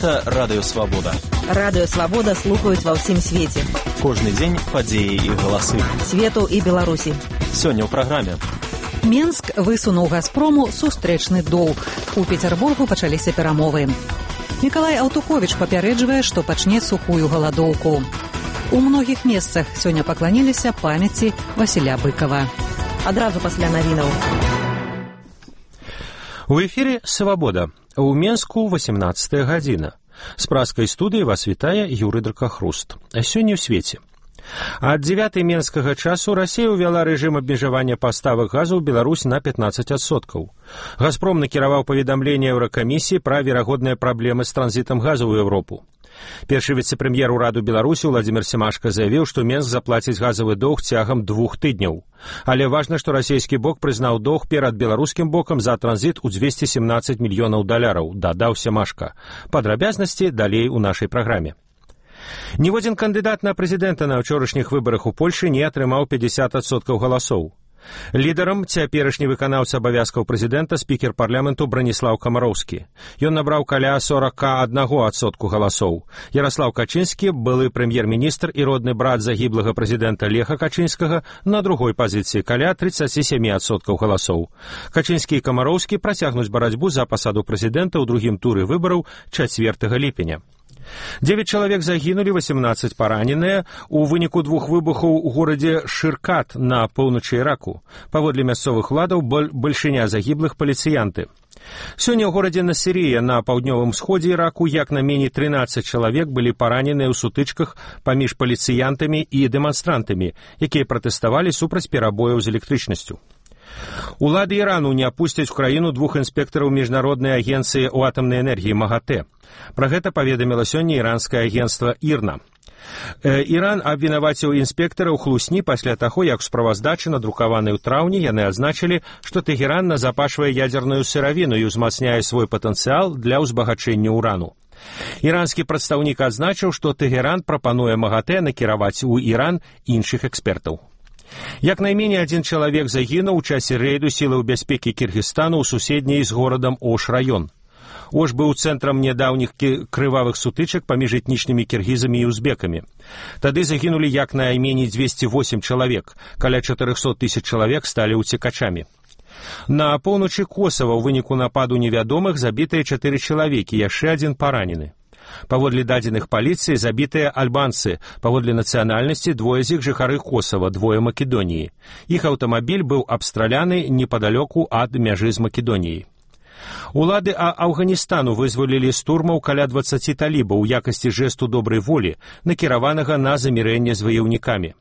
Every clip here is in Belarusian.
Гэта Радыё Свабода. Радыё Свабода слухаюць ва ўсім свеце. Кожны дзень падзеі і галасы. Свету і Беларусі. Сёння ў праграме. Менск высунуў «Газпрому» сустрэчны доўг. У Пецярбургу пачаліся перамовы. Мікалай Аўтуховіч папярэджвае, што пачне сухую галадоўку. У многіх месцах сёння пакланіліся памяці Васіля Быкава. Адразу пасля навінаў. У эфірі «Свабода». У Менску 18 гадзіна. З праскай студыі вас вітае Юрый Дракахруст. А сёння ў свеце. Ад 9 менскага часу Расія ўвяла рэжым абмежавання паставак газу ў Беларусь на 15%. «Газпром» накіраваў паведамленне Еўракамісіі пра верагодныя праблемы з транзітам газу ў Еўропу. Першы віцэ-прэм'ер ураду Беларусі Владзімір Семашка заявіў, што Менск заплаціць газавы доўг цягам 2 тыдняў. Але важна, што расійскі бок прызнаў доўг перад беларускім бокам за транзіт у 217 мільёнаў даляраў, дадаў Семашка. Падрабязнасці далей у нашай праграме. Ніводзін кандыдат на прэзідэнта на ўчорашніх выбарах у Польшы не атрымаў 50% галасоў. Лідарам цяперашні выканаўца абавязкаў прэзідэнта спікер парламенту Браніслаў Камароўскі. Ён набраў каля 41% галасоў. Яраслаў Качынскі, былы прэм'ер-міністр і родны брат загіблага прэзідэнта Леха Качынскага, на другой пазіцыі каля 37% галасоў. Качынскі і Камароўскі працягнуць барацьбу за пасаду прэзідэнта ў другім туры выбараў 4 ліпеня. 9 чалавек загінулі, 18 параненыя у выніку 2 выбухаў у горадзе Шыркат на поўначы Іраку. Паводле мясцовых уладаў, бальшыня загіблых паліцыянты. Сёння ў горадзе Насірія на паўднёвым сходзе Іраку як на меней 13 чалавек былі параненыя ў сутычках паміж паліцыянтамі і дэманстрантамі, якія пратэставалі супраць перабояў з электрычнасцю. Улады Ірану не апусцяць у краіну 2 інспектараў міжнароднай агенцыі ў атамнай энергіі МАГАТЭ. Пра гэта паведаміла сёння іранскае агенцтва ІРНА. Іран абвінаваціў інспектараў хлусні пасля таго, як у справаздачы, надрукаванай у траўні, яны адзначылі, што Тэгеран назапашвае ядзерную сыравіну і ўзмацняе свой патэнцыял для ўзбагачэння ўрану. Іранскі прадстаўнік адзначыў, што Тэгеран прапануе МАГАТЭ накіраваць у Іран іншых экспертаў. Як найменей 1 чалавек загінуў у часе рэйду сілаў бяспекі Кіргізстану ў суседняй з горадам Ош раён. Ош быў цэнтрам нядаўніх крывавых сутычак паміж этнічнымі кіргізамі і узбекамі. Тады загінулі як найменей 208 чалавек, каля 400 000 чалавек сталі ўцекачамі. На поўначы Косава ў выніку нападу невядомых забітыя 4 чалавекі, яшчэ 1 паранены. Паводле дадзеных паліцыі забітыя альбанцы, паводле нацыянальнасці 2 з іх жыхары Косава, 2 Македоніі. Іх аўтамабіль быў абстраляны непадалёку ад мяжы з Македоніяй. Улады Афганістану вызвалілі з турмаў каля 20 талібаў у якасці жэсту добрай волі, накіраванага на замірэнне з ваяўнікамі.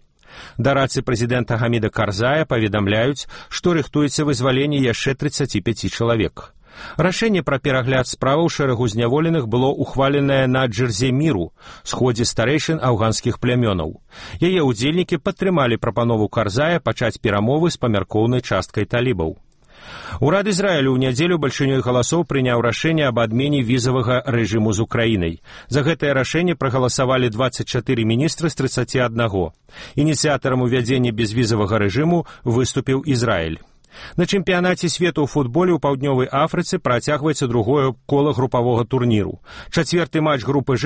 Дарадцы прэзідэнта Гаміда Карзая паведамляюць, што рыхтуецца вызваленне яшчэ 35 чалавек. Рашэнне пра перагляд справаў шэрагу зняволеных было ухваленае на Джерзе-Міру, сходзе старэйшын афганскіх плямёнаў. Яе ўдзельнікі падтрымалі прапанову Карзая пачаць перамовы з памяркоўнай часткай талібаў. Урад Ізраілю ў нядзелю бальшынёй галасоў прыняў рашэнне аб адмене візавага рэжыму з Украінай. За гэтае рашэнне прагаласавалі 24 міністры з 31. Ініцыятарам увядзення безвізавага рэжыму выступіў Ізраіль. На чэмпіянаце свету ў футболе ў Паўднёвай Афрыцы працягваецца другое кола групавога турніру. 4-й матч групы Ж